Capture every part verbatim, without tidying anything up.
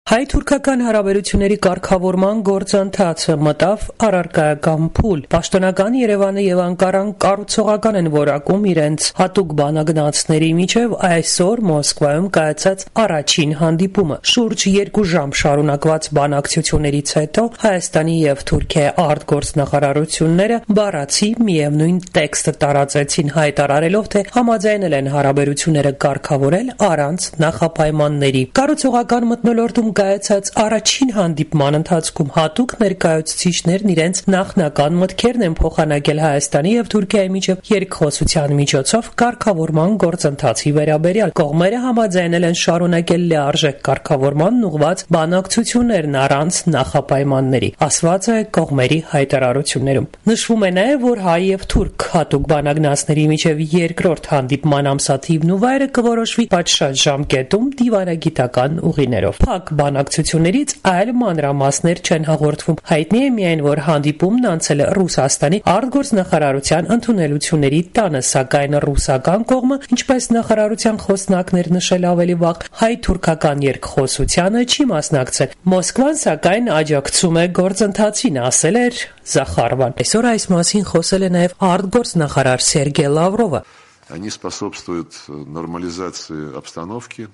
Հայ-թուրքական հարաբերությունների կարգավորման գործընթացը մտավ առարկայական փուլ։ Պաշտոնական Երևանը եւ Անկարան կառուցողական են որակում իրենց հատուկ բանագնացների միջև այսօր Մոսկվայում կայացած առաջին հանդիպումը։ Շուրջ երկու ժամ շարունակված բանակցություններից հետո Հայաստանի եւ Թուրքիայի արտգործնախարարությունները բառացի միևնույն տեքստը տարածեցին, հայտարարելով, թե համաձայնել են հարաբերությունները կարգավորել առանց նախապայմանների։ Կառուցողական մթնոլորտում կայացած առաջին հանդիպման ընթացքում հատուկ ներկայացուցիչներն իրենց նախնական մտքերն են փոխանակել Հայաստանի եւ Թուրքիայի միջև երկխոսության միջոցով կարգավորման գործընթացի վերաբերյալ։ Կողմերը համաձայնել են շարունակել լիարժեք կարգավորմանն ուղղված բանակցություններն առանց նախապայմանների, ասված է կողմերի հայտարարություններում։ Նշվում է նաեւ, որ հայ եւ թուրք հատուկ բանագնացների միջև երկրորդ հանդիպման ամսաթիվն ու վայրը կորոշվի պատշաճ ժամկետում դիվանագիտական ուղիներով։ Փակ բանակցություններից այլ մանրամասներ չեն հաղորդվում։ Հայտնի է միայն, որ հանդիպումն անցել է Ռուսաստանի արտգործնախարարության ընդունելությունների տանը, սակայն ռուսական կողմը, ինչպես նախարարության խոսնակներ նշել ավելի վաղ, հայ-թուրքական երկխոսությանը չի մասնակցել։ Մոսկվան, սակայն, աջակցում է գործընթացին, ասել էր Զախարովան։ Այսօր այս մասին խոսել է նաև արտգործնախարար Սերգեյ Լավրովը։ Они способствуют нормализации обстановки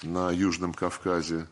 на Южном Кавказе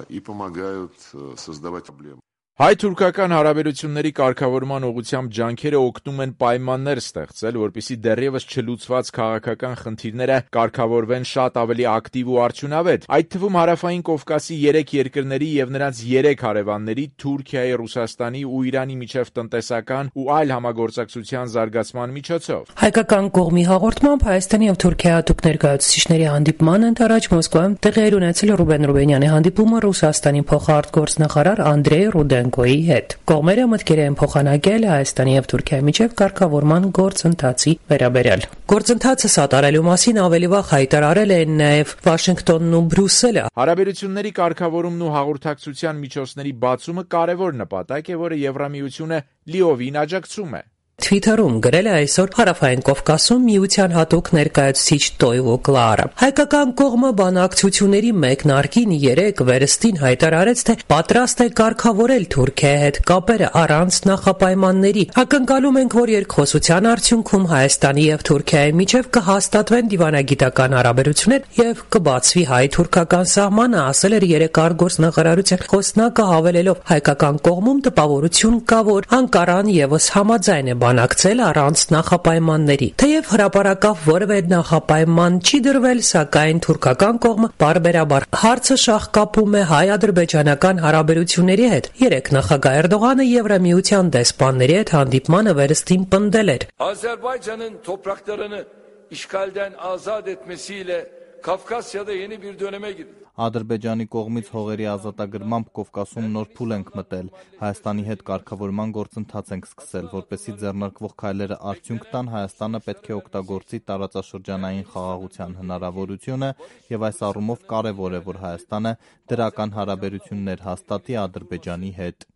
и помогают создавать проблемы. Հայ-թուրքական հարաբերությունների կարգավորման ուղղությամբ ջանքերը օգնում են պայմաններ ստեղծել, որպեսզի դեռևս չլուծված քաղաքական խնդիրները կարգավորվեն շատ ավելի ակտիվ ու արդյունավետ։ Այդ թվում Հարավային Կովկասի երեք երկրների եւ նրանց երեք հարևանների՝ Թուրքիայի, Ռուսաստանի ու Իրանի միջև տնտեսական ու այլ համագործակցության զարգացման միջոցով։ Հայկական կողմի հաղորդմամբ Հայաստանի եւ Թուրքիայի հատուկ ներկայացուցիչների հանդիպման ընթരാճ Մոսկվայում տեղի էր ունեցել Ռուբեն Ռուբենյանի հանդիպումը Ռուսաստանի փոխարտգործնախարար Անդրեյ Ռուդենկոյի հետ։ Կողմերը մտքեր են փոխանակել Հայաստանի եւ Թուրքիայի միջև կարգավորման գործընթացի վերաբերյալ։ Գործընթացը սատարելու մասին ավելի վաղ հայտարարել են նաեւ Վաշինգտոնն ու Բրյուսելը։ Հարաբերությունների կարգավորումն ու հաղորդակցության միջոցների բացումը կարևոր նպատակ է, որը Եվրամիությունը լիովին աջակցում է։ Թվիթերում գրել է այսօր Հարավային Կովկասում միության հատուկ ներկայացուցիչ Տոյվո Կլարը։ Հայկական կողմը բանակցությունների մեկնարկին երեք վերստին հայտարարեց, թե պատրաստ է կարգավորել Թուրքիայի հետ կապերը առանց նախապայմանների։ Ակնկալում ենք, որ երկխոսության արդյունքում Հայաստանի եւ Թուրքիայի միջև կհաստատվեն դիվանագիտական հարաբերություններ եւ կբացվի հայ-թուրքական սահմանը, ասել էր երեք արտգործնախարարության խոսնակը, հավելելով հայկական կողմում տպավորություն կա, որ Անկարան եւս համաձայն է բանակցել առանց նախապայմանների։ Թեև հրապարակավ որևէ նախապայման չի դրվել, սակայն թուրքական կողմը բարբերաբար հարցը շահկապում է հայ-ադրբեջանական հարաբերությունների հետ։ Երեք նախագահ Էրդողանը Եվրամիության դեսպանների հետ հանդիպմանը վերստին պնդել էր. Azerbaycan'ın topraklarını işgalden azat etmesiyle Kafkasya'da yeni bir döneme girdi. Ադրբեջանի կողմից հողերի ազատագրմամբ Կովկասում նոր փուլ ենք մտել։ Հայաստանի հետ կարգավորման գործընթաց ենք սկսել, որպեսզի ձեռնարկվող քայլերը արդյունք տան, Հայաստանը պետք է օգտագործի տարածաշրջանային խաղաղության հնարավորությունը եւ այս առումով կարեւոր է, որ Հայաստանը դրական հարաբերություններ հաստատի Ադրբեջանի հետ։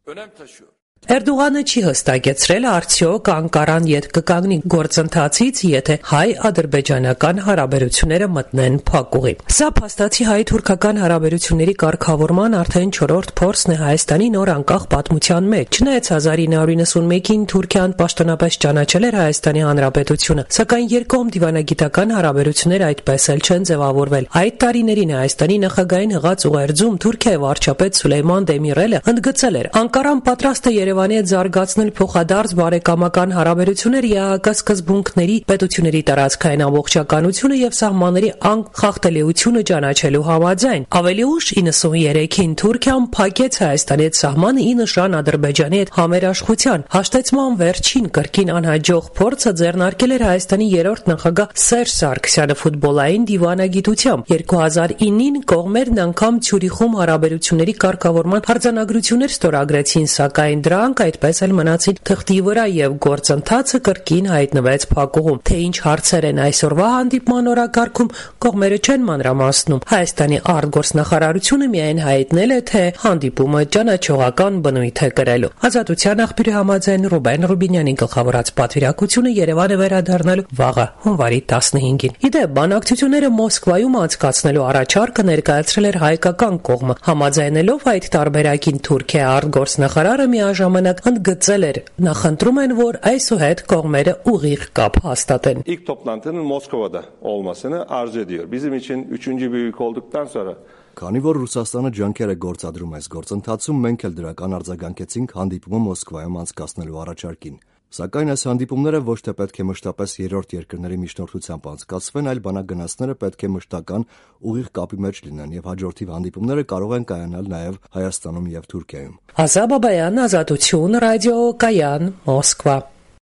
Էրդողանը չի հստակեցրել արդյոք Անկարան յետ կկանգնի գործընթացից, եթե հայ-ադրբեջանական հարաբերությունները մտնեն փակուղի։ Սա փաստացի հայ-թուրքական հարաբերությունների կարգավորման արդեն չորրորդ փորձն է Հայաստանի նոր անկախ պատմության մեջ։ Չնայած հազար ինը հարյուր նվաթ Թուրքիան պաշտոնապես ճանաչել էր Հայաստանի Հանրապետությունը, սակայն երկկողմ դիվանագիտական հարաբերությունները այդպես էլ չեն ձևավորվել։ Այդ տարիներին Հայաստանի նախագահային հղած ուղերձում Թուրքիայի վարչապետ Սուլեյման Դեմիրելը ընդգծել էր. Անկարան պատրաստ է Երևանի հետ զարգացնել փոխադարձ բարեկամական հարաբերություններ ԵԱՀԿ սկզբունքների, պետությունների տարածքային ամբողջականությունը եւ սահմանների անկախտելիությունը ճանաչելու համաձայն։ Ավելի ուշ իննսուններեքին Թուրքիան փակեց Հայաստանի հետ սահմանը ի նշան Ադրբեջանի հետ համերաշխության։ Հաշտեցման վերջին կրկին անհաջող փորձը ձեռնարկել էր Հայաստանի երրորդ նախագահ Սերժ Սարգսյանը ֆուտբոլային դիվանագիտությամբ։ երկու հազար ինին կողմերն անգամ Ցյուրիխում հարաբերությունների կարգավորման արձանագրություններ ստորագրեցին, սակայն դրա դրանք այդպես էլ մնացին թղթի վրա եւ գործընթացը կրկին հայտնվեց փակուղում։ Թե ինչ հարցեր են այսօրվա հանդիպման օրակարգում, կողմերը չեն մանրամասնում։ Հայաստանի արտգործնախարարությունը միայն հայտնել է, թե հանդիպումը ճանաչողական բնույթ է կրելու։ Ազատության աղբյուրի համաձայն Ռուբեն Ռուբինյանի գլխավորած պատվիրակությունը Երևան է վերադառնալու վաղը հունվարի տասնհինգին։ Իդեպ բանակցությունները Մոսկվայում անցկացնելու առաջարկը ներկայացրել էր հայկական կողմը։ Համաձայնելով այդ տարբերակին Թուրքիա արտգործնախարարը միաժամանակ ընդգծել էր, նախընտրում են, որ այսուհետ կողմերը ուղիղ կապ hastատեն. İlk toplantının Moskova'da olmasını arzu ediyor. Bizim için üçüncü büyük olduktan sonra Քանի որ Ռուսաստանը ջանքեր է գործադրում այս գործընթացում, մենք էլ դրական արձագանքեցինք հանդիպումը Մոսկվայում անցկացնելու առաջարկին։ Սակայն այս հանդիպումները ոչ թե պետք է մշտապես երրորդ երկրների միջնորդությամբ անցկացվեն, այլ բանագնացները պետք է մշտական ուղիղ կապի մեջ լինեն եւ հաջորդիվ հանդիպումները կարող են կայանալ նաեւ Հայաստանում եւ Թուրքիայում։ Ազատ Բաբայան, Ազատություն, ռադիո Կայան, Մոսկվա։